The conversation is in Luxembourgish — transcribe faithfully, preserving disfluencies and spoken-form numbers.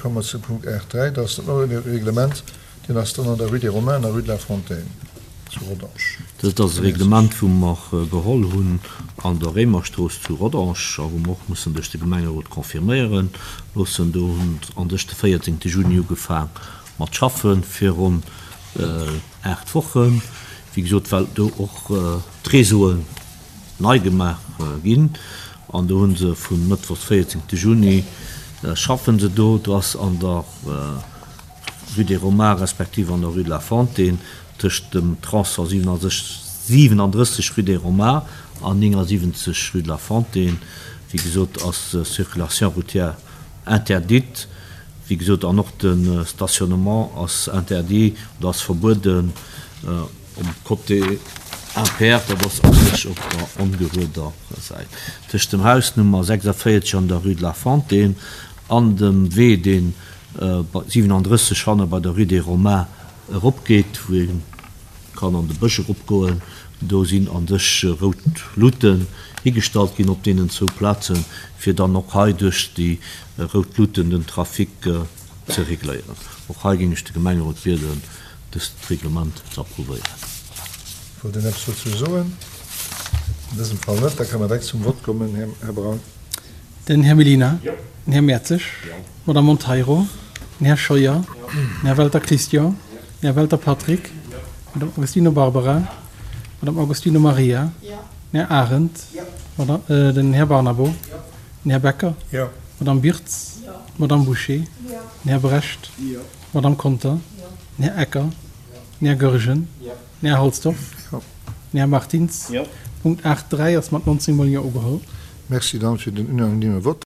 komme mer zu Punkt aacht dräi, dat ass dat neie Reglement, deen ass dann an der Rue des Romains an der Rue de la Fontaine zu Rodange. Dëst ass e Reglement, wou mer geholl hunn an der Réimerstrooss zu Rodange a wou mer och mussen duerch de Gemengerot confirméiere loossen. Do hunn an sech de véierzéngte Juni ugefaang mat schaffen, fir ronn aacht Wochen, wéi gesot, well do och d'Réseauen nei gemaach ginn. An do hu se vu mëttwochs véierzéngte Juni schaffen se do. Do ass an der Rue des Romains respektiv an der Rue de la Fontaine tëscht dem Tronçon siewenunddrësseg Rue des Romains an néngasiwwenzeg Rue de la Fontaine, wéi gesot, ass Circulation routière interdite, wéi gesot, an och de Stationnement ass interdit oder ass verbueden um Côté impair, dat ass u sech op der ongerueder Säit, tëscht dem Haus Nummer sechsavéierzeg an der Rue de la Fontaine an dem Wee, deen siewenunddrësseg hanne bei der Rue des Romains eropgeet, wou ee kann an de Bësch eropgoen. Do sinn an sech rout Luuten higestallt ginn op deenen zwou Plazen, fir dann och hei duerch déi rout Luuten den Trafic ze regléieren. Och hei géing ech de Gemengerot bieden, dëst Reglement ze approuvéieren. Wollt een eppes dozou soen? An dësem Fall net. Da kënne mer direkt zum Vott kommen, Här Braun. Den Här Mellina. Den Här Mertzig. D'Madame Monteiro. Den Här Scheuer. Den Här Welter Christian. Den Här Welter Patrick. D'Madame Agostino Barbara. D'Madame Agostino Maria. Den Här Arendt. Den Här Barnabo. Den Här Becker. D'Madame Birtz. D'Madame Bouché. Den Här Brecht. D'Madame Conter. Den Här Ecker. Den Här Goergen. Den Här Halsdorf. Den Här Martins. Punkt aacht dräi ass mat nonzéng mol Jo ugeholl. Merci dann fir den unanime Vott.